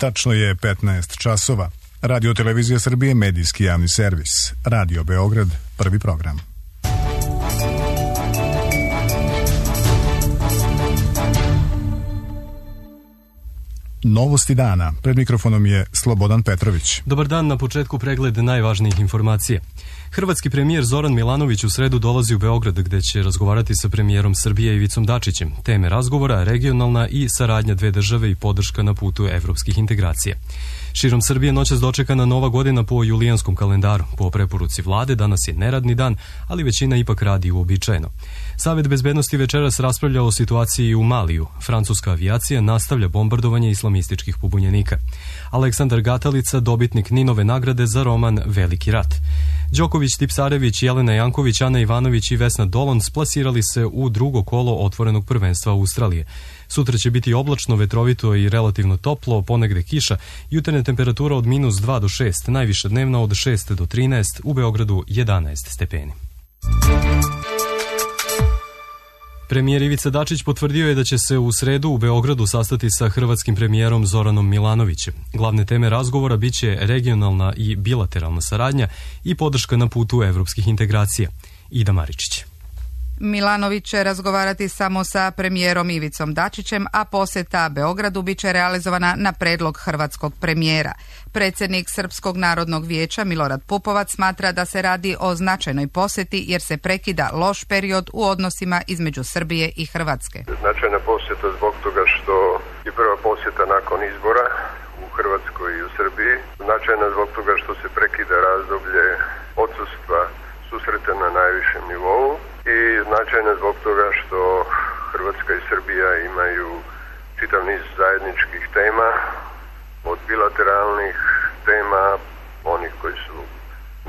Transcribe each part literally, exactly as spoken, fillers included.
Tačno je petnaest časova. Radio Televizija Srbije, medijski javni servis. Radio Beograd, prvi program. Novosti dana. Pred mikrofonom je Slobodan Petrović. Dobar dan, na početku pregled najvažnijih informacija. Hrvatski premijer Zoran Milanović u sredu dolazi u Beograd gde će razgovarati sa premijerom Srbije Ivicom Dačićem. Teme razgovora regionalna i saradnja dve države i podrška na putu evropskih integracija. Širom Srbije noćas dočekana nova godina po julijanskom kalendaru. Po preporuci vlade danas je neradni dan, ali većina ipak radi uobičajeno. Savet bezbednosti večeras raspravlja o situaciji u Maliju. Francuska avijacija nastavlja bombardovanje islamističkih pobunjenika. Aleksandar Gatalica, dobitnik Ninove nagrade za roman Veliki rat. Đoković, Tipsarević, Jelena Janković, Ana Ivanović i Vesna Dolon splasirali se u drugo kolo otvorenog prvenstva Australije. Sutra će biti oblačno, vetrovito i relativno toplo, ponegde kiša, jutarnja temperatura od minus dva do šest, najviša dnevna od šest do trinaest, u Beogradu jedanaest stepeni. Premijer Ivica Dačić potvrdio je da će se u sredu u Beogradu sastati sa hrvatskim premijerom Zoranom Milanovićem. Glavne teme razgovora biće regionalna i bilateralna saradnja i podrška na putu evropskih integracija. Ida Maričić. Milanović će razgovarati samo sa premijerom Ivicom Dačićem, a poseta Beogradu biće realizovana na predlog hrvatskog premijera. Predsjednik Srpskog narodnog vijeća Milorad Pupovac smatra da se radi o značajnoj posjeti jer se prekida loš period u odnosima između Srbije i Hrvatske. Značajna posjeta zbog toga što je prva posjeta nakon izbora u Hrvatskoj i u Srbiji. Značajna zbog toga što se prekida razdoblje odsustva susreta na najvišem nivou i značajna zbog toga što Hrvatska i Srbija imaju čitav niz zajedničkih tema, od bilateralnih tema, onih koji su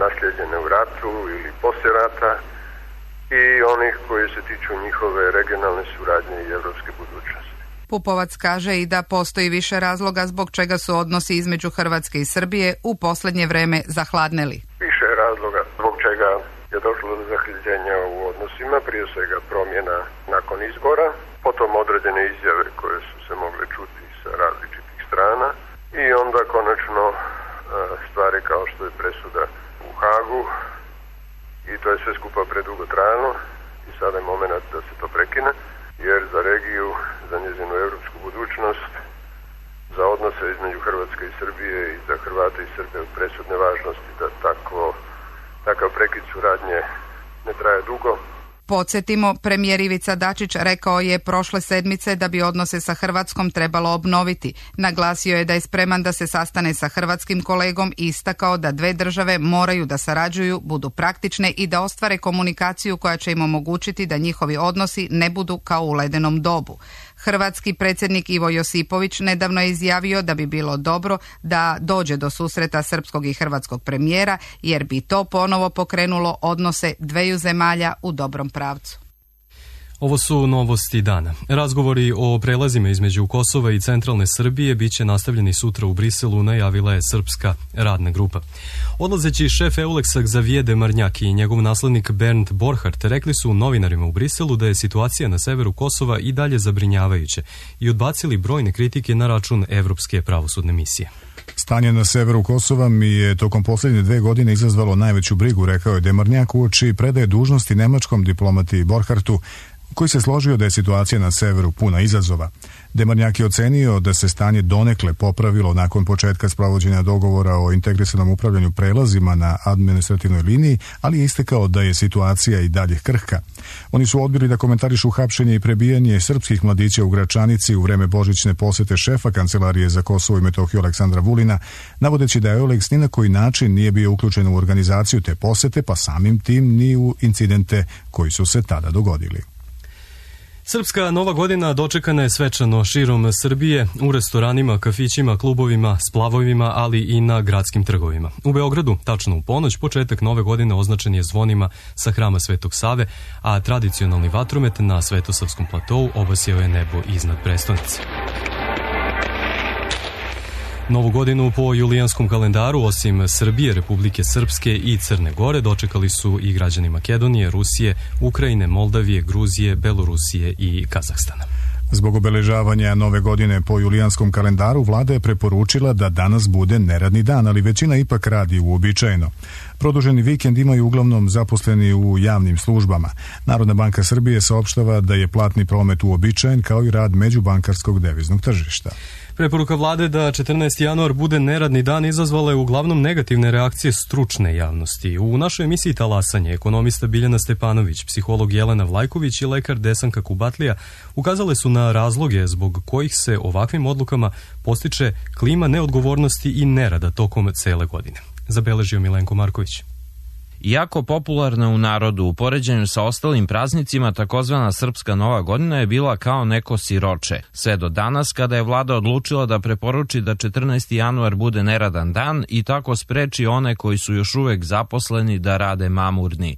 nasljeđene u ratu ili poslije rata, i onih koji se tiču njihove regionalne suradnje i evropske budućnosti. Pupovac kaže i da postoji više razloga zbog čega su odnosi između Hrvatske i Srbije u posljednje vreme zahladneli. Više razloga zbog čega je došlo do zahljeđenja u odnosima, prije svega promjena nakon izbora, potom određene izjave koje su se mogle čuti sa različitih strana i onda konačno stvari kao što je presuda u Hagu, i to je sve skupa predugo trajalo i sada je moment da se to prekine, jer za regiju, za njezinu evropsku budućnost, za odnose između Hrvatske i Srbije i za Hrvate i Srbe od presudne važnosti da takvo, takav prekid suradnje ne traje dugo. Podsjetimo, premijer Ivica Dačić rekao je prošle sedmice da bi odnose sa Hrvatskom trebalo obnoviti. Naglasio je da je spreman da se sastane sa hrvatskim kolegom i istakao da dve države moraju da sarađuju, budu praktične i da ostvare komunikaciju koja će im omogućiti da njihovi odnosi ne budu kao u ledenom dobu. Hrvatski predsjednik Ivo Josipović nedavno je izjavio da bi bilo dobro da dođe do susreta srpskog i hrvatskog premijera jer bi to ponovo pokrenulo odnose dveju zemalja u dobrom pravcu. Ovo su novosti dana. Razgovori o prelazima između Kosova i centralne Srbije biće nastavljeni sutra u Briselu, najavila je srpska radna grupa. Odlazeći šef Euleksa Xavier Demarnjak i njegov naslednik Bernd Borchardt rekli su novinarima u Briselu da je situacija na severu Kosova i dalje zabrinjavajuća i odbacili brojne kritike na račun Evropske pravosudne misije. Stanje na severu Kosova mi je tokom posljednje dve godine izazvalo najveću brigu, rekao je Demarnjak uoči predaje dužnosti nemačkom diplomati Borchardtu, koji se složio da je situacija na severu puna izazova. Demarnjak je ocenio da se stanje donekle popravilo nakon početka sprovođenja dogovora o integrisanom upravljanju prelazima na administrativnoj liniji, ali je istakao da je situacija i dalje krhka. Oni su odbili da komentarišu hapšenje i prebijanje srpskih mladića u Gračanici u vreme božićne posete šefa Kancelarije za Kosovo i Metohiju Aleksandra Vulina, navodeći da Euleks ni na koji način nije bio uključen u organizaciju te posete, pa samim tim ni u incidente koji su se tada dogodili. Srpska nova godina dočekana je svečano širom Srbije, u restoranima, kafićima, klubovima, splavovima, ali i na gradskim trgovima. U Beogradu, tačno u ponoć, početak nove godine označen je zvonima sa hrama Svetog Save, a tradicionalni vatromet na Svetosavskom platou obasjao je nebo iznad prestonice. Novu godinu po julijanskom kalendaru, osim Srbije, Republike Srpske i Crne Gore, dočekali su i građani Makedonije, Rusije, Ukrajine, Moldavije, Gruzije, Belorusije i Kazahstana. Zbog obeležavanja nove godine po julijanskom kalendaru, vlada je preporučila da danas bude neradni dan, ali većina ipak radi uobičajeno. Produženi vikend imaju uglavnom zaposleni u javnim službama. Narodna banka Srbije saopštava da je platni promet uobičajen kao i rad međubankarskog deviznog tržišta. Preporuka vlade da četrnaesti januar bude neradni dan izazvala je uglavnom negativne reakcije stručne javnosti. U našoj emisiji Talasanje ekonomista Biljana Stepanović, psiholog Jelena Vlajković i lekar Desanka Kubatlija ukazale su na razloge zbog kojih se ovakvim odlukama postiče klima neodgovornosti i nerada tokom cele godine. Zabeležio Milenko Marković. Iako popularna u narodu, u poređenju sa ostalim praznicima, takozvana Srpska Nova godina je bila kao neko siroče. Sve do danas, kada je vlada odlučila da preporuči da četrnaesti januar bude neradan dan i tako spreči one koji su još uvek zaposleni da rade mamurni.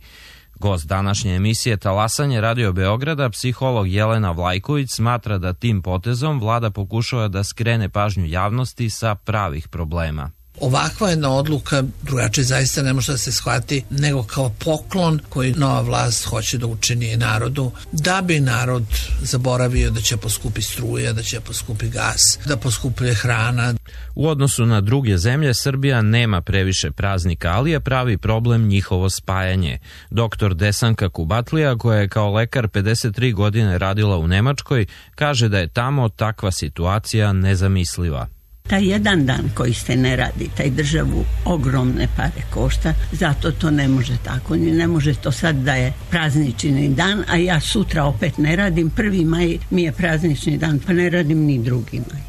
Gost današnje emisije Talasanje Radio Beograda, psiholog Jelena Vlajković, smatra da tim potezom vlada pokušava da skrene pažnju javnosti sa pravih problema. Ovakva jedna odluka drugačije zaista ne može da se shvati nego kao poklon koji nova vlast hoće da učini narodu, da bi narod zaboravio da će poskupi struja, da će poskupi gas, da poskupuje hrana. U odnosu na druge zemlje, Srbija nema previše praznika, ali je pravi problem njihovo spajanje. Doktor Desanka Kubatlija, koja je kao lekar pedeset tri godine radila u Nemačkoj, kaže da je tamo takva situacija nezamisliva. Taj jedan dan koji se ne radi, taj državu ogromne pare košta, zato to ne može tako. Ne može to sad da je praznični dan, a ja sutra opet ne radim. Prvi maj mi je praznični dan, pa ne radim ni drugi maj.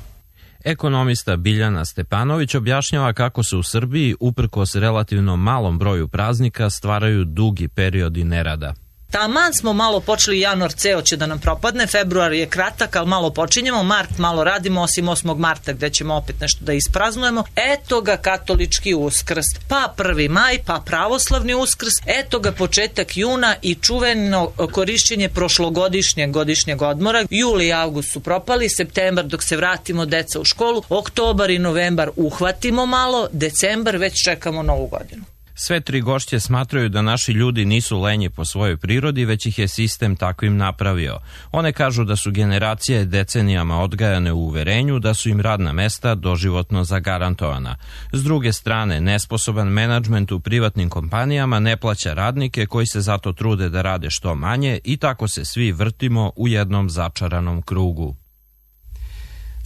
Ekonomista Biljana Stepanović objašnjava kako se u Srbiji, uprkos relativno malom broju praznika, stvaraju dugi periodi nerada. Taman smo malo počeli, januar ceo će da nam propadne, februar je kratak, ali malo počinjemo, mart malo radimo, osim osmog marta gde ćemo opet nešto da ispraznujemo. Eto ga katolički uskrs, pa prvi maj, pa pravoslavni uskrs, eto ga početak juna i čuveno korišćenje prošlogodišnjeg godišnjeg odmora. Juli i avgust su propali, septembar dok se vratimo deca u školu, oktobar i novembar uhvatimo malo, decembar već čekamo novu godinu. Sve tri gošće smatraju da naši ljudi nisu lenji po svojoj prirodi, već ih je sistem takvim napravio. One kažu da su generacije decenijama odgajane u uverenju da su im radna mesta doživotno zagarantovana. S druge strane, nesposoban menadžment u privatnim kompanijama ne plaća radnike koji se zato trude da rade što manje i tako se svi vrtimo u jednom začaranom krugu.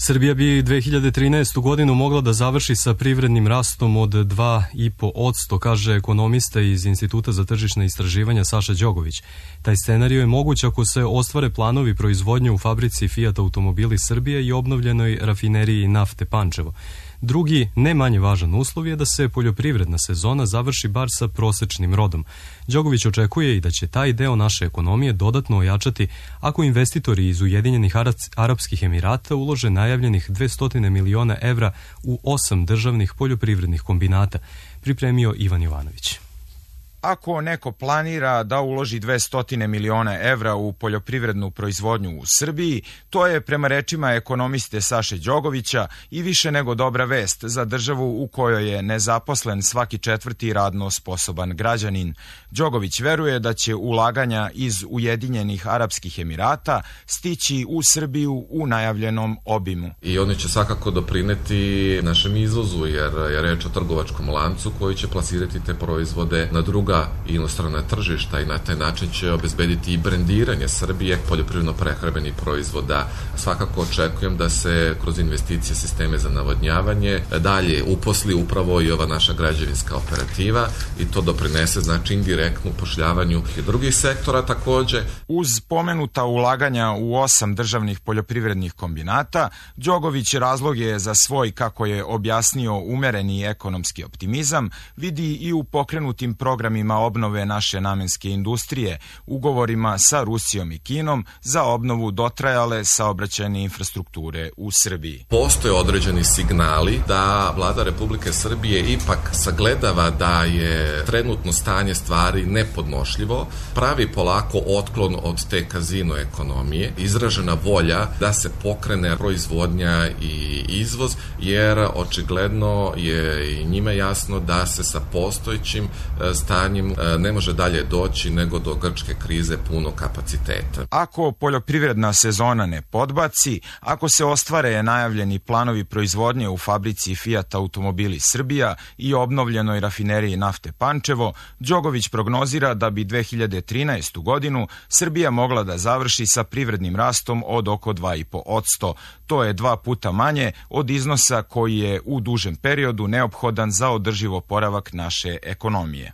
Srbija bi dve hiljade trinaestu godinu mogla da završi sa privrednim rastom od dva i po posto, kaže ekonomista iz Instituta za tržišna istraživanja Saša Đogović. Taj scenario je moguć ako se ostvare planovi proizvodnje u fabrici Fiat Automobili Srbije i obnovljenoj rafineriji nafte Pančevo. Drugi, ne manje važan uslov je da se poljoprivredna sezona završi bar sa prosečnim rodom. Đogović očekuje i da će taj deo naše ekonomije dodatno ojačati ako investitori iz Ujedinjenih Arapskih Emirata ulože najavljenih dvesta miliona evra u osam državnih poljoprivrednih kombinata, pripremio Ivan Jovanović. Ako neko planira da uloži dvesta miliona evra u poljoprivrednu proizvodnju u Srbiji, to je prema rečima ekonomiste Saše Đogovića i više nego dobra vest za državu u kojoj je nezaposlen svaki četvrti radno sposoban građanin. Đogović veruje da će ulaganja iz Ujedinjenih Arapskih Emirata stići u Srbiju u najavljenom obimu. I oni će svakako doprineti našem izvozu, jer je reč o trgovačkom lancu koji će plasirati te proizvode na druga inostrana tržišta i na taj način će obezbediti i brendiranje Srbije poljoprivredno-prehrambenih proizvoda. Svakako očekujem da se kroz investicije sisteme za navodnjavanje dalje uposli upravo i ova naša građevinska operativa i to doprinese znači indirektno upošljavanju i drugih sektora takođe. Uz pomenuta ulaganja u osam državnih poljoprivrednih kombinata, Đogović razlog je za svoj, kako je objasnio, umereni ekonomski optimizam vidi i u pokrenutim programima obnove naše namenske industrije, ugovorima sa Rusijom i Kinom za obnovu dotrajale saobraćajne infrastrukture u Srbiji. Postoje određeni signali da vlada Republike Srbije ipak sagledava da je trenutno stanje stvari nepodnošljivo, pravi polako otklon od te kazino ekonomije, izražena volja da se pokrene proizvodnja i izvoz, jer očigledno je i njima jasno da se sa postojećim stanjem stanjem ne može dalje doći nego do grčke krize punog kapaciteta. Ako poljoprivredna sezona ne podbaci, ako se ostvare najavljeni planovi proizvodnje u fabrici Fiat Automobili Srbija i obnovljenoj rafineriji nafte Pančevo, Đogović prognozira da bi dve hiljade trinaestu godinu Srbija mogla da završi sa privrednim rastom od oko dva i po posto. To je dva puta manje od iznosa koji je u dužem periodu neophodan za održiv oporavak naše ekonomije.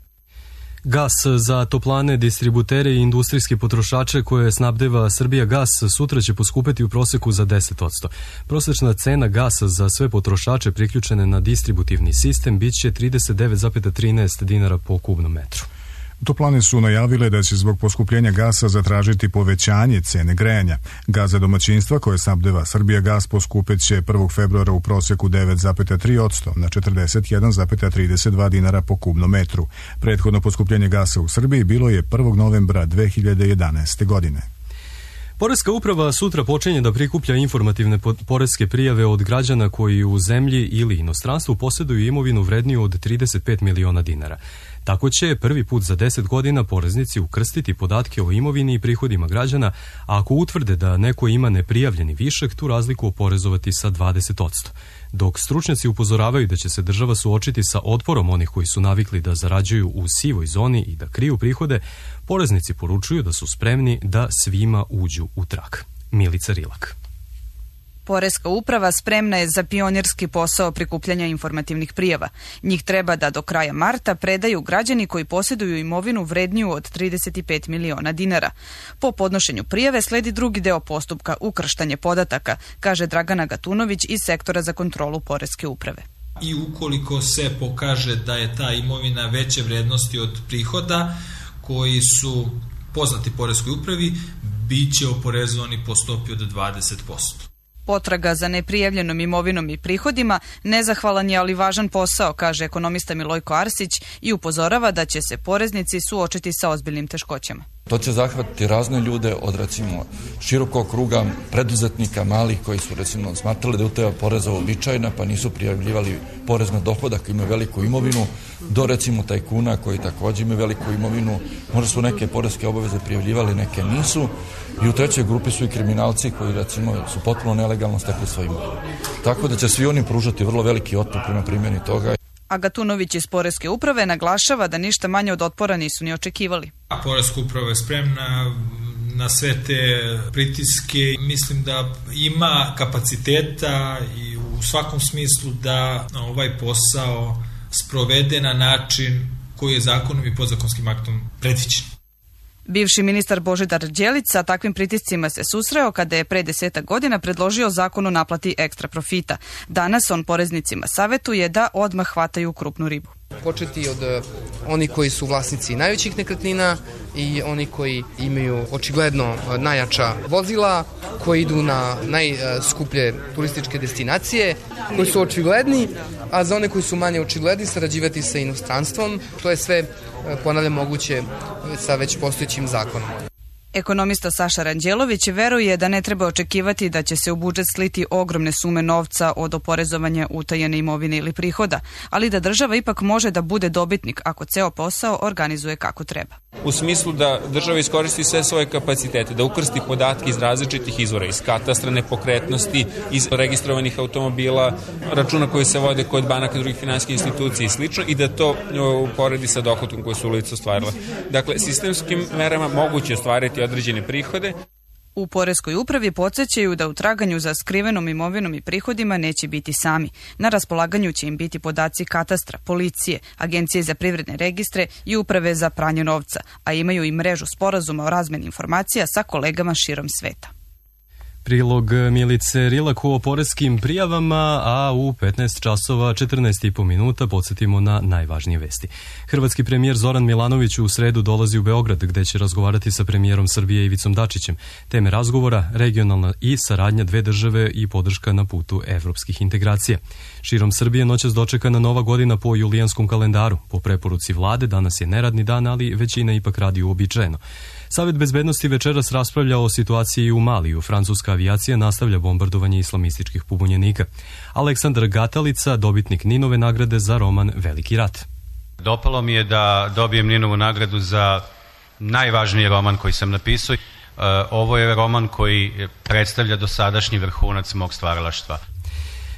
Gas za toplane, distributere i industrijske potrošače koje snabdeva Srbija gas sutra će poskupeti u proseku za deset posto. Prosečna cena gasa za sve potrošače priključene na distributivni sistem bit će trideset devet zarez trinaest dinara po kubnom metru. Toplane su najavile da će zbog poskupljenja gasa zatražiti povećanje cene grejanja. Gas za domaćinstva koje snabdeva Srbija gas poskupet će prvog februara u proseku devet zarez tri posto na četrdeset jedan zarez trideset dva dinara po kubnom metru. Prethodno poskupljenje gasa u Srbiji bilo je prvog novembra dve hiljade jedanaeste. godine. Poreska uprava sutra počinje da prikuplja informativne poreske prijave od građana koji u zemlji ili inostranstvu posjeduju imovinu vredniju od trideset pet miliona dinara. Tako će prvi put za deset godina poreznici ukrstiti podatke o imovini i prihodima građana, a ako utvrde da neko ima neprijavljeni višak, tu razliku oporezovati sa dvadeset posto. Dok stručnjaci upozoravaju da će se država suočiti sa otporom onih koji su navikli da zarađuju u sivoj zoni i da kriju prihode, poreznici poručuju da su spremni da svima uđu u trag. Milica Rilak. Poreska uprava spremna je za pionirski posao prikupljanja informativnih prijava. Njih treba da do kraja marta predaju građani koji posjeduju imovinu vredniju od trideset pet miliona dinara. Po podnošenju prijave sledi drugi deo postupka, ukrštanje podataka, kaže Dragana Gatunović iz sektora za kontrolu Poreske uprave. I ukoliko se pokaže da je ta imovina veće vrednosti od prihoda koji su poznati Poreskoj upravi, bit će oporezovani po stopi od dvadeset posto. Potraga za neprijavljenom imovinom i prihodima nezahvalan je, ali važan posao, kaže ekonomista Milojko Arsić i upozorava da će se poreznici suočiti sa ozbiljnim teškoćama. To će zahvatiti razne ljude od recimo širokog kruga preduzetnika malih koji su recimo smatrali da je utaja poreza uobičajena pa nisu prijavljivali porez na dohodak, imaju veliku imovinu, do recimo tajkuna koji također imaju veliku imovinu, možda su neke poreske obaveze prijavljivali, neke nisu, i u trećoj grupi su i kriminalci koji recimo su potpuno nelegalno stekli svoju imovinu. Tako da će svi oni pružati vrlo veliki otpor prema primjeni toga. A Gatunović iz Poreske uprave naglašava da ništa manje od otpora nisu ni očekivali. A Poreska uprava je spremna na sve te pritiske. Mislim da ima kapaciteta i u svakom smislu da ovaj posao sprovede na način koji je zakonom i podzakonskim aktom predviđen. Bivši ministar Božidar Đelić sa takvim pritiscima se susreo kada je pre desetak godina predložio zakon o naplati ekstra profita. Danas on poreznicima savetuje da odmah hvataju krupnu ribu. Početi od oni koji su vlasnici najvećih nekretnina i oni koji imaju očigledno najjača vozila, koji idu na najskuplje turističke destinacije, koji su očigledni, a za one koji su manje očigledni sarađivati sa inostranstvom. To je sve, ponavljam, moguće sa već postojećim zakonom. Ekonomista Saša Ranđelović veruje da ne treba očekivati da će se u budžet sliti ogromne sume novca od oporezovanja utajene imovine ili prihoda, ali da država ipak može da bude dobitnik ako ceo posao organizuje kako treba. U smislu da država iskoristi sve svoje kapacitete, da ukrsti podatke iz različitih izvora, iz katastra nepokretnosti, iz registrovanih automobila, računa koji se vode kod banaka i drugih finansijskih institucija i slično, i da to uporedi sa dohotkom koje su lice ostvarile. Dakle, sistemskim merama moguće ostvariti određene prihode. U Poreskoj upravi podsjećaju da u traganju za skrivenom imovinom i prihodima neće biti sami. Na raspolaganju će im biti podaci katastra, policije, Agencije za privredne registre i Uprave za pranje novca, a imaju i mrežu sporazuma o razmeni informacija sa kolegama širom sveta. Prilog Milice Rilak o poreskim prijavama, a u petnaest časova četrnaest i po minuta podsjetimo na najvažnije vesti. Hrvatski premijer Zoran Milanović u sredu dolazi u Beograd, gde će razgovarati sa premijerom Srbije Ivicom Dačićem. Teme razgovora, regionalna i saradnja dve države i podrška na putu evropskih integracija. Širom Srbije noćas dočekana nova godina po julijanskom kalendaru. Po preporuci vlade danas je neradni dan, ali većina ipak radi uobičajeno. Savet bezbednosti večeras raspravlja o situaciji u Maliju. Francuska avijacija nastavlja bombardovanje islamističkih pobunjenika. Aleksandar Gatalica, dobitnik Ninove nagrade za roman Veliki rat. Dopalo mi je da dobijem Ninovu nagradu za najvažniji roman koji sam napisao. Ovo je roman koji predstavlja dosadašnji vrhunac mog stvaralaštva.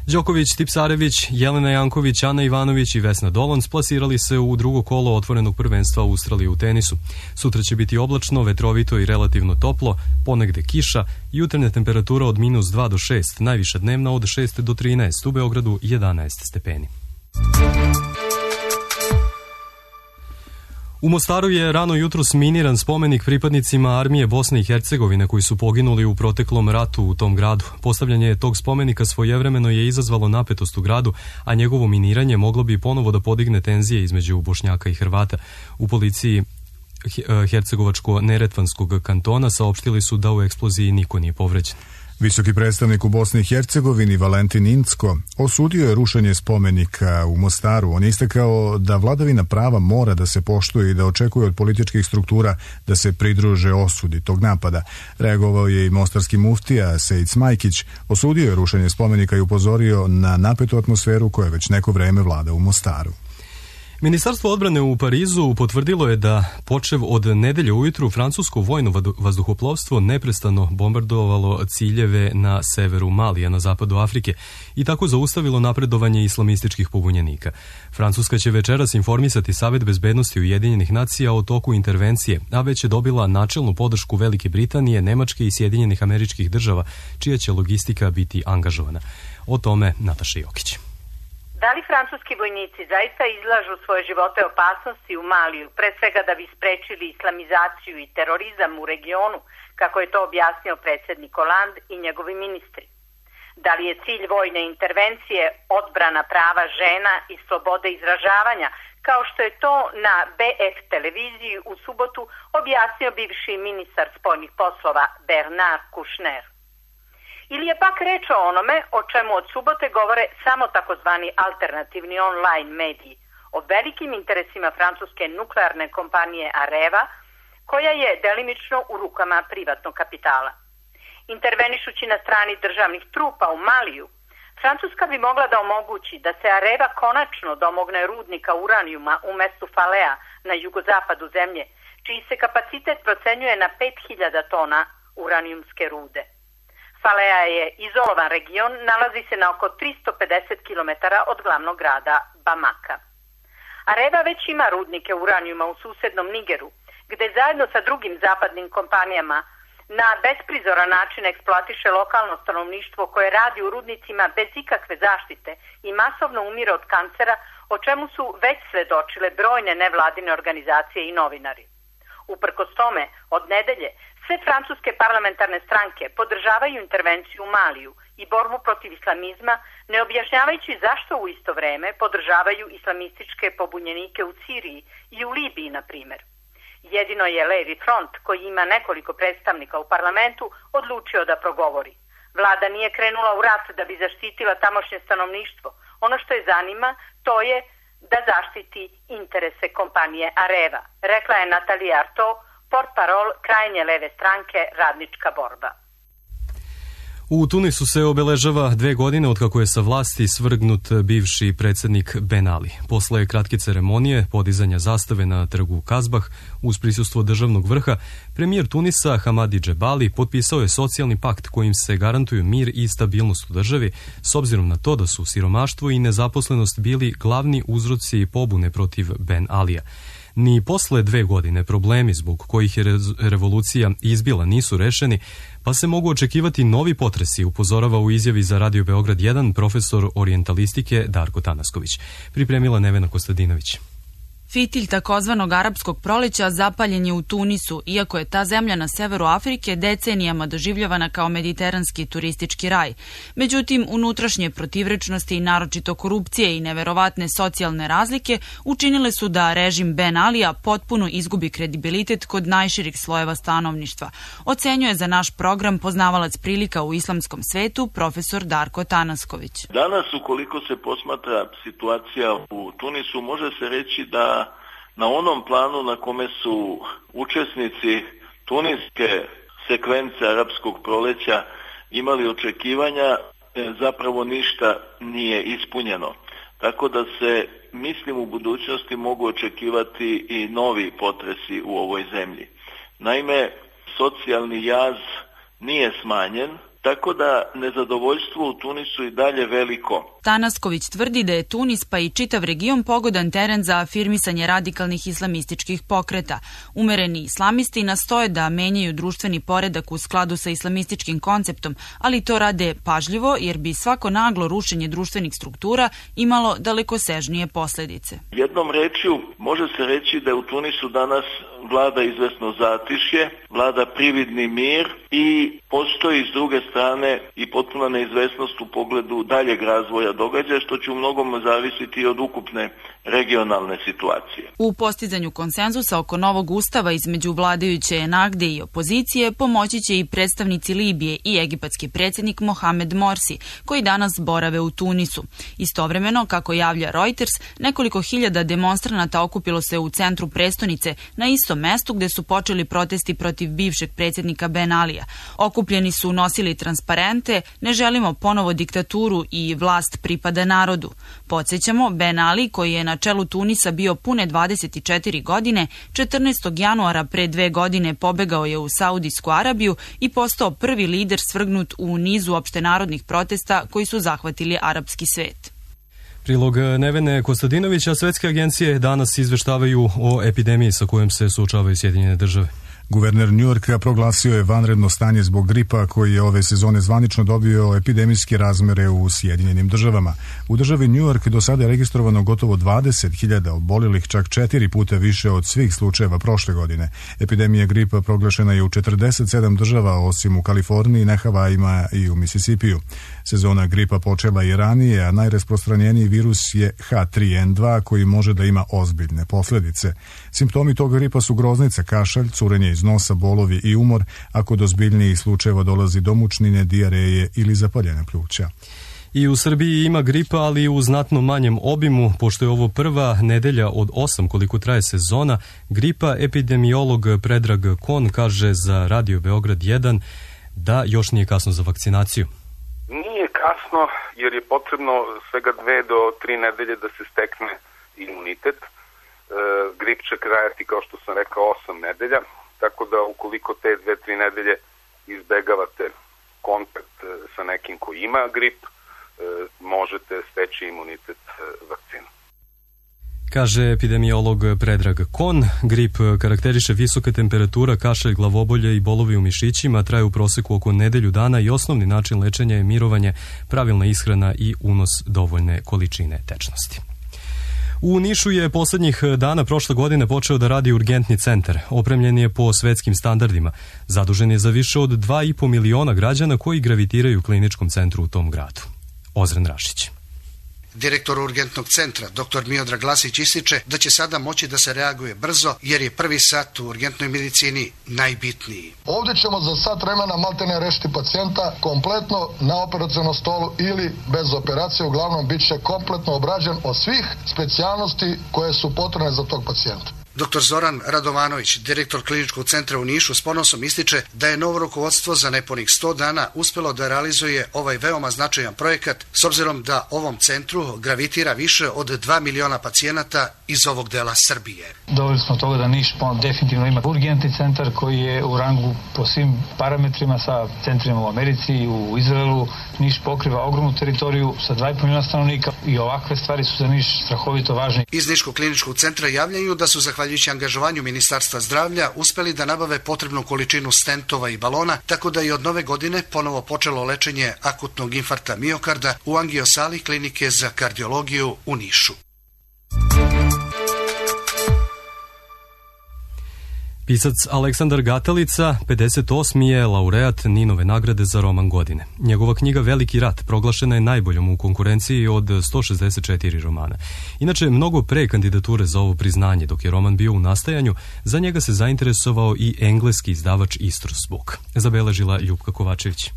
Đoković, Tipsarević, Jelena Janković, Ana Ivanović i Vesna Dolan splasirali se u drugo kolo otvorenog prvenstva Australije u tenisu. Sutra će biti oblačno, vetrovito i relativno toplo, ponegde kiša, jutarnja temperatura od minus dva do šest, najviša dnevna od šest do trinaest, u Beogradu jedanaest stepeni. U Mostaru je rano jutros miniran spomenik pripadnicima armije Bosne i Hercegovine koji su poginuli u proteklom ratu u tom gradu. Postavljanje tog spomenika svojevremeno je izazvalo napetost u gradu, a njegovo miniranje moglo bi ponovo da podigne tenzije između Bošnjaka i Hrvata. U policiji Hercegovačko-Neretvanskog kantona saopštili su da u eksploziji niko nije povređen. Visoki predstavnik u Bosni i Hercegovini Valentin Incko osudio je rušenje spomenika u Mostaru. On je istakao da vladavina prava mora da se poštuje i da očekuje od političkih struktura da se pridruže osudi tog napada. Reagovao je i mostarski muftija Sejid Smajkić, osudio je rušenje spomenika i upozorio na napetu atmosferu koja već neko vreme vlada u Mostaru. Ministarstvo odbrane u Parizu potvrdilo je da počev od nedelje ujutru francusko vojno vazduhoplovstvo neprestano bombardovalo ciljeve na severu Malija na zapadu Afrike i tako zaustavilo napredovanje islamističkih pobunjenika. Francuska će večeras informisati Savet bezbednosti Ujedinjenih nacija o toku intervencije, a već je dobila načelnu podršku Velike Britanije, Nemačke i Sjedinjenih Američkih Država, čija će logistika biti angažovana. O tome Nataša Jokić. Da li francuski vojnici zaista izlažu svoje živote opasnosti u Maliju, pre svega da bi sprečili islamizaciju i terorizam u regionu, kako je to objasnio predsjednik Hollande i njegovi ministri? Da li je cilj vojne intervencije odbrana prava žena i slobode izražavanja, kao što je to na B F televiziji u subotu objasnio bivši ministar spoljnih poslova Bernard Kouchner? Ili je pak reč o onome o čemu od subote govore samo takozvani alternativni online mediji, o velikim interesima francuske nuklearne kompanije Areva, koja je delimično u rukama privatnog kapitala. Intervenišući na strani državnih trupa u Maliju, Francuska bi mogla da omogući da se Areva konačno domogne rudnika uranijuma u mestu Falea na jugozapadu zemlje, čiji se kapacitet procenjuje na pet hiljada tona uranijumske rude. Falea je izolovan region, nalazi se na oko tristo pedeset kilometara od glavnog grada Bamaka. Areva već ima rudnike uranijuma u susednom Nigeru, gde zajedno sa drugim zapadnim kompanijama na besprizoran način eksploatiše lokalno stanovništvo koje radi u rudnicima bez ikakve zaštite i masovno umire od kancera, o čemu su već svedočile brojne nevladine organizacije i novinari. Uprkos tome, od nedelje, sve francuske parlamentarne stranke podržavaju intervenciju u Maliju i borbu protiv islamizma, ne objašnjavajući zašto u isto vreme podržavaju islamističke pobunjenike u Siriji i u Libiji, na primjer. Jedino je Levi front, koji ima nekoliko predstavnika u parlamentu, odlučio da progovori. Vlada nije krenula u rat da bi zaštitila tamošnje stanovništvo. Ono što je zanima, to je da zaštiti interese kompanije Areva, rekla je Nathalie Arthaud, portparol krajnje leve stranke Radnička borba. U Tunisu se obeležava dve godine od kako je sa vlasti svrgnut bivši predsjednik Ben Ali. Posle kratke ceremonije podizanja zastave na trgu Kazbah uz prisustvo državnog vrha, premijer Tunisa Hamadi Džebali potpisao je socijalni pakt kojim se garantuju mir i stabilnost u državi, s obzirom na to da su siromaštvo i nezaposlenost bili glavni uzroci pobune protiv Ben Alija. Ni posle dve godine problemi zbog kojih je revolucija izbila nisu rešeni, pa se mogu očekivati novi potresi, upozorava u izjavi za Radio Beograd jedan profesor orijentalistike Darko Tanasković. Pripremila Nevena Kostadinović. Fitilj takozvanog arapskog proleća zapaljen je u Tunisu, iako je ta zemlja na severu Afrike decenijama doživljavana kao mediteranski turistički raj. Međutim, unutrašnje protivrečnosti i naročito korupcije i neverovatne socijalne razlike učinile su da režim Ben Alija potpuno izgubi kredibilitet kod najširih slojeva stanovništva. Ocenjuje za naš program poznavalac prilika u islamskom svetu, profesor Darko Tanasković. Danas, ukoliko se posmatra situacija u Tunisu, može se reći da na onom planu na kome su učesnici tuniske sekvence arapskog proleća imali očekivanja, zapravo ništa nije ispunjeno. tako da se, mislim, u budućnosti mogu očekivati i novi potresi u ovoj zemlji. Naime, socijalni jaz nije smanjen, tako da nezadovoljstvo u Tunisu i dalje veliko. Tanasković tvrdi da je Tunis pa i čitav region pogodan teren za afirmisanje radikalnih islamističkih pokreta. Umereni islamisti nastoje da menjaju društveni poredak u skladu sa islamističkim konceptom, ali to rade pažljivo jer bi svako naglo rušenje društvenih struktura imalo dalekosežnije posledice. Jednom rečju može se reći da u Tunisu danas vlada izvesno zatišje, vlada prividni mir i postoji s druge strane i potpuna neizvesnost u pogledu daljeg razvoja događaja, što će u mnogom zavisiti od ukupne regionalne situacije. U postizanju konsenzusa oko novog ustava između vladajuće Ennahde i opozicije pomoći će i predstavnici Libije i egipatski predsjednik Mohamed Morsi, koji danas borave u Tunisu. Istovremeno, kako javlja Reuters, nekoliko hiljada demonstranata okupilo se u centru prestonice na istom mestu gde su počeli protesti protiv bivšeg predsjednika Ben Alija. Okupljeni su nosili transparente "Ne želimo ponovo diktaturu" i "Vlast pripada narodu". Podsjećamo, Ben Ali, koji je na čelu Tunisa bio pune dvadeset četiri godine, četrnaestog januara pre dve godine pobegao je u Saudijsku Arabiju i postao prvi lider svrgnut u nizu opštenarodnih protesta koji su zahvatili arapski svet. Prilog Nevene Kostadinovića, svetske agencije danas izveštavaju o epidemiji sa kojom se suočavaju Sjedinjene države. Guverner Njujorka proglasio je vanredno stanje zbog gripa koji je ove sezone zvanično dobio epidemijske razmere u Sjedinjenim državama. U državi Njujork do sada je registrovano gotovo dvadeset hiljada oboljelih, čak četiri puta više od svih slučajeva prošle godine. Epidemija gripa proglašena je u četrdeset sedam država, osim u Kaliforniji, na Havajima i u Misisipiju. Sezona gripa počela i ranije, a najrasprostranjeniji virus je H tri N dva koji može da ima ozbiljne posljedice. Simptomi tog gripa su groznica, kašalj, curenje iz nosa, bolovi i umor, a kod ozbiljnijih slučajeva dolazi do mučnine, dijareje ili zapaljene pluća. I u Srbiji ima gripa, ali u znatno manjem obimu, pošto je ovo prva nedelja od osam koliko traje sezona. Gripa epidemiolog Predrag Kon kaže za Radio Beograd jedan da još nije kasno za vakcinaciju. Nije kasno jer je potrebno svega dve do tri nedelje da se stekne imunitet. E, grip će trajati, kao što sam rekao, osam nedelja, tako da ukoliko te dve, tri nedelje izbegavate kontakt sa nekim ko ima grip, e, možete steći imunitet e, vakcinom. Kaže epidemiolog Predrag Kon. Grip karakteriše visoka temperatura, kašalj, glavobolje i bolovi u mišićima, traje u proseku oko nedelju dana i osnovni način lečenja je mirovanje, pravilna ishrana i unos dovoljne količine tečnosti. U Nišu je poslednjih dana prošle godine počeo da radi urgentni centar. Opremljen je po svetskim standardima. Zadužen je za više od dva i po miliona građana koji gravitiraju kliničkom centru u tom gradu. Ozren Rašić. Direktor urgentnog centra, doktor Miodrag Glasić, ističe da će sada moći da se reaguje brzo jer je prvi sat u urgentnoj medicini najbitniji. Ovdje ćemo za sat vremena maltene rešiti pacijenta kompletno na operacionom stolu ili bez operacije, uglavnom bit će kompletno obrađen od svih specijalnosti koje su potrebne za tog pacijenta. doktor Zoran Radovanović, direktor kliničkog centra u Nišu, s ponosom ističe da je novo rukovodstvo za nepunih sto dana uspelo da realizuje ovaj veoma značajan projekat s obzirom da ovom centru gravitira više od dva miliona pacijenata iz ovog dela Srbije. Doveli smo toga da Niš definitivno ima urgentni centar koji je u rangu po svim parametrima sa centrima u Americi i u Izraelu. Niš pokriva ogromnu teritoriju sa dva i po miliona stanovnika i ovakve stvari su za Niš strahovito važne. Iz Niškog kliničkog centra javljaju da su zahvaljujući angažovanju Ministarstva zdravlja uspeli da nabave potrebnu količinu stentova i balona, tako da je od nove godine ponovo počelo lečenje akutnog infarkta miokarda u angiosali klinike za kardiologiju u Nišu. Pisac Aleksandar Gatalica, pedeset osmi je laureat Ninove nagrade za roman godine. Njegova knjiga Veliki rat proglašena je najboljom u konkurenciji od sto šezdeset četiri romana. Inače, mnogo pre kandidature za ovo priznanje, dok je roman bio u nastajanju, za njega se zainteresovao i engleski izdavač Istres Book. Zabeležila Ljupka Kovačević.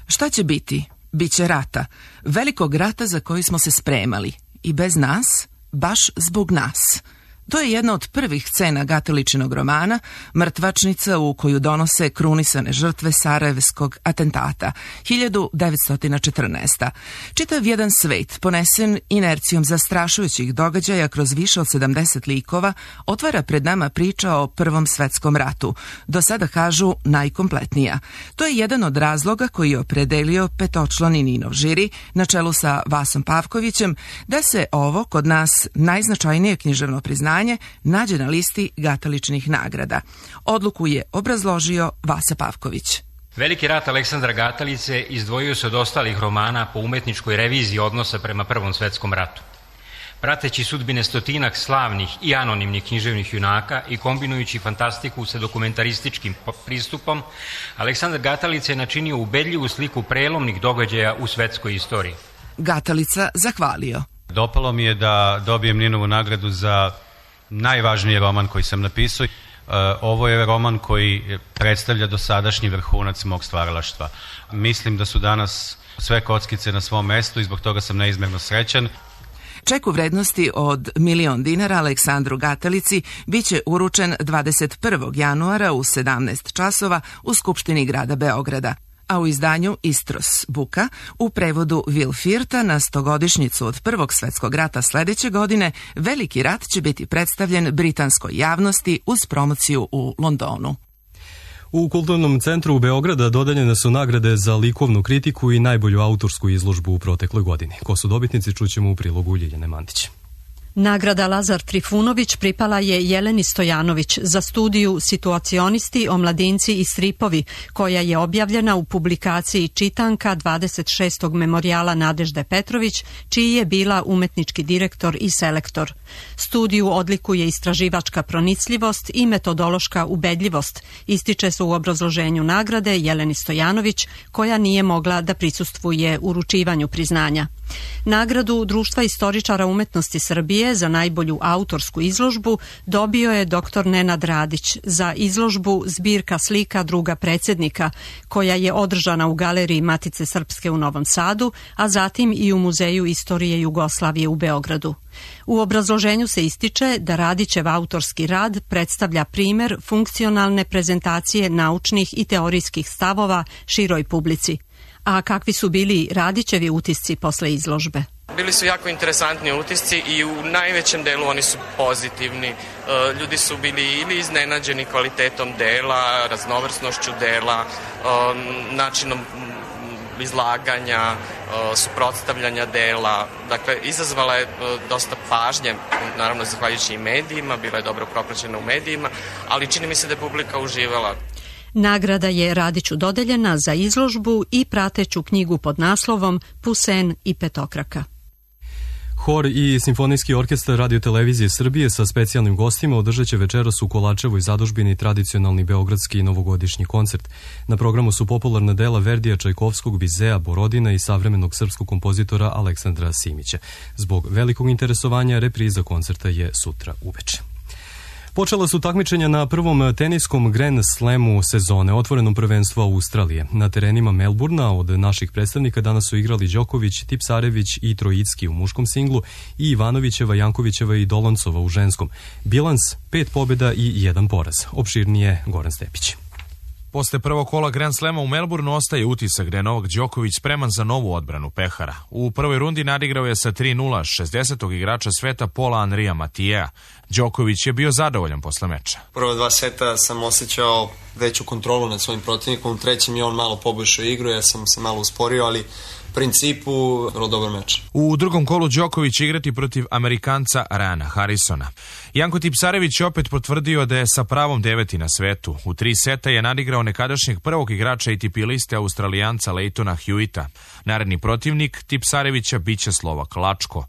Šta će biti? Biće rata. Velikog rata za koji smo se spremali. I bez nas, baš zbog nas. To je jedna od prvih scena Gataličinog romana, mrtvačnica u koju donose krunisane žrtve sarajevskog atentata, hiljadu devetsto četrnaeste. Čitav jedan svet, ponesen inercijom zastrašujućih događaja kroz više od sedamdeset likova, otvara pred nama priča o Prvom svetskom ratu, do sada kažu najkompletnija. To je jedan od razloga koji je opredelio petočlani Ninov žiri, na čelu sa Vasom Pavkovićem, da se ovo, kod nas najznačajnije književno priznanje, nađe na listi Gataličinih nagrada. Odluku je obrazložio Vasa Pavković. Veliki rat Aleksandra Gatalice izdvojio se od ostalih romana po umetničkoj reviziji odnosa prema Prvom svetskom ratu. Prateći sudbine stotinak slavnih i anonimnih književnih junaka i kombinujući fantastiku sa dokumentarističkim pristupom, Aleksandar Gatalica je načinio ubedljivu sliku prelomnih događaja u svetskoj istoriji. Gatalica zahvalio. Dopalo mi je da dobijem Ninovu nagradu za najvažniji roman koji sam napisao. Ovo je roman koji predstavlja dosadašnji vrhunac mog stvaralaštva. Mislim da su danas sve kockice na svom mestu i zbog toga sam neizmjerno srećan. Ček u vrednosti od milion dinara Aleksandru Gatalici biće uručen dvadeset prvog januara u sedamnaest časova u Skupštini grada Beograda. A u izdanju Istros Buka, u prevodu Will Firta, na stogodišnjicu od Prvog svetskog rata sledeće godine, Veliki rat će biti predstavljen britanskoj javnosti uz promociju u Londonu. U Kulturnom centru u Beograda dodeljene su nagrade za likovnu kritiku i najbolju autorsku izložbu u protekloj godini. Ko su dobitnici, čućemo u prilogu Ljiljane Mandić. Nagrada Lazar Trifunović pripala je Jeleni Stojanović za studiju Situacionisti, omladinci i stripovi, koja je objavljena u publikaciji Čitanka dvadeset šestog memorijala Nadežde Petrović, čiji je bila umetnički direktor i selektor. Studiju odlikuje istraživačka pronicljivost i metodološka ubedljivost, ističe se u obrazloženju nagrade Jeleni Stojanović, koja nije mogla da prisustvuje uručivanju priznanja. Nagradu Društva istoričara umetnosti Srbije za najbolju autorsku izložbu dobio je doktor Nenad Radić za izložbu Zbirka slika druga predsjednika, koja je održana u Galeriji Matice Srpske u Novom Sadu, a zatim i u Muzeju istorije Jugoslavije u Beogradu. U obrazloženju se ističe da Radićev autorski rad predstavlja primer funkcionalne prezentacije naučnih i teorijskih stavova široj publici. A kakvi su bili Radićevi utisci posle izložbe? Bili su jako interesantni utisci i u najvećem delu oni su pozitivni. Ljudi su bili ili iznenađeni kvalitetom dela, raznovrsnošću dela, načinom izlaganja, suprotstavljanja dela. Dakle, izazvala je dosta pažnje, naravno zahvaljujući i medijima, bila je dobro propraćena u medijima, ali čini mi se da je publika uživala. Nagrada je Radiću dodeljena za izložbu i prateću knjigu pod naslovom Pusen i petokraka. Hor i Simfonijski orkestar Radio-televizije Srbije sa specijalnim gostima održat će večeras u Kolačevoj zadužbini tradicionalni beogradski novogodišnji koncert. Na programu su popularna dela Verdija, Čajkovskog, Bizea, Borodina i savremenog srpskog kompozitora Aleksandra Simića. Zbog velikog interesovanja repriza koncerta je sutra uveče. Počela su takmičenja na prvom teniskom Grand Slamu sezone, otvorenom prvenstvu Australije. Na terenima Melburna od naših predstavnika danas su igrali Đoković, Tipsarević i Trojicki u muškom singlu i Ivanovićeva, Jankovićeva i Doloncova u ženskom. Bilans pet pobjeda i jedan poraz. Opširnije Goran Stepić. Posle prvog kola Grand Slema u Melbourneu ostaje utisak da je Novak Đoković spreman za novu odbranu pehara. U prvoj rundi nadigrao je sa tri nula šezdesetog igrača sveta Paula Andrija Matijea. Đoković je bio zadovoljan posle meča. Prvo dva seta sam osjećao veću kontrolu nad svojim protivnikom, u trećem je on malo poboljšao igru, ja sam se malo usporio, ali u principu vrlo dobar meč. U drugom kolu Đoković će igrati protiv Amerikanca Ryana Harrisona. Janko Tipsarević je opet potvrdio da je sa pravom deveti na svetu. U tri seta je nadigrao nekadašnjeg prvog igrača A T P liste Australijanca Leightona Hewita. Naredni protivnik Tipsarevića biće Slovak Lačko.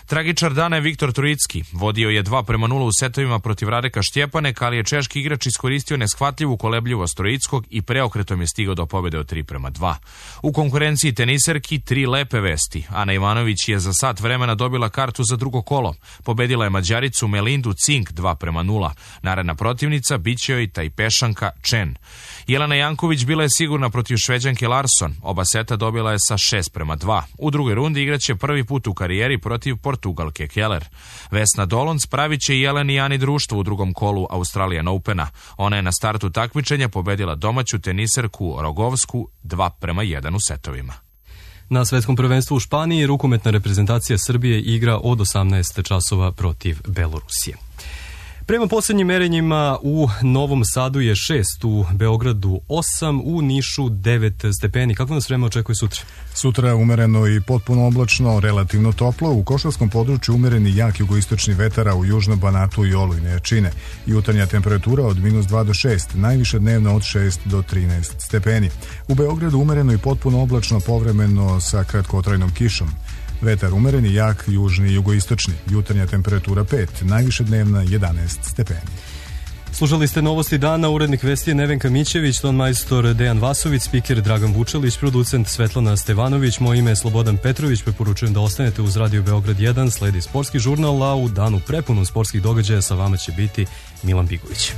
Tragičar dana je Viktor Trojicki. Vodio je dva prema nula u setovima protiv Radeka Štjepanek, ali je češki igrač iskoristio neshvatljivu kolebljivost Trojickog i preokretom je stigao do pobjede od tri prema dva. U konkurenciji teniserki tri lepe vesti. Ana Ivanović je za sat vremena dobila kartu za drugo kolo. Pobedila je Mađaricu Melindu Cink dva prema nula. Naredna protivnica biće joj Tajpešanka Chen. Jelena Janković bila je sigurna protiv Šveđanke Larsson. Oba seta dobila je sa šest prema dva. U drugoj rundi igraće prvi put u karijeri protiv Portugalske Portugalke Keller. Vesna Dolonc pravit će Jeleni Jani društvo u drugom kolu Australian Opena. Ona je na startu takmičenja pobedila domaću teniserku Rogovsku dva prema jedan u setovima. Na svetskom prvenstvu u Španiji rukometna reprezentacija Srbije igra od osamnaest časova protiv Belorusije. Prema posljednjim merenjima u Novom Sadu je šest, u Beogradu osam, u Nišu devet stepeni. Kako nas vreme očekuje sutra? Sutra umereno i potpuno oblačno, relativno toplo. U košarskom području umereni jak jugoistočni vetar, a u južnom Banatu i olujne jačine. Jutarnja temperatura od minus dva do šest, najviše dnevno od šest do trinaest stepeni. U Beogradu umereno i potpuno oblačno, povremeno sa kratkotrajnom kišom. Vetar umereni, jak, južni i jugoistočni. Jutarnja temperatura pet, najviše dnevna jedanaest stepeni. Slušali ste Novosti dana, urednik vesti je Nevenka Mićević, ton majstor Dejan Vasović, spiker Dragan Vučelić, producent Svetlana Stevanović, moje ime je Slobodan Petrović, preporučujem da ostanete uz Radio Beograd jedan, sledi sportski žurnal, a u danu prepunom sportskih događaja sa vama će biti Milan Bigović.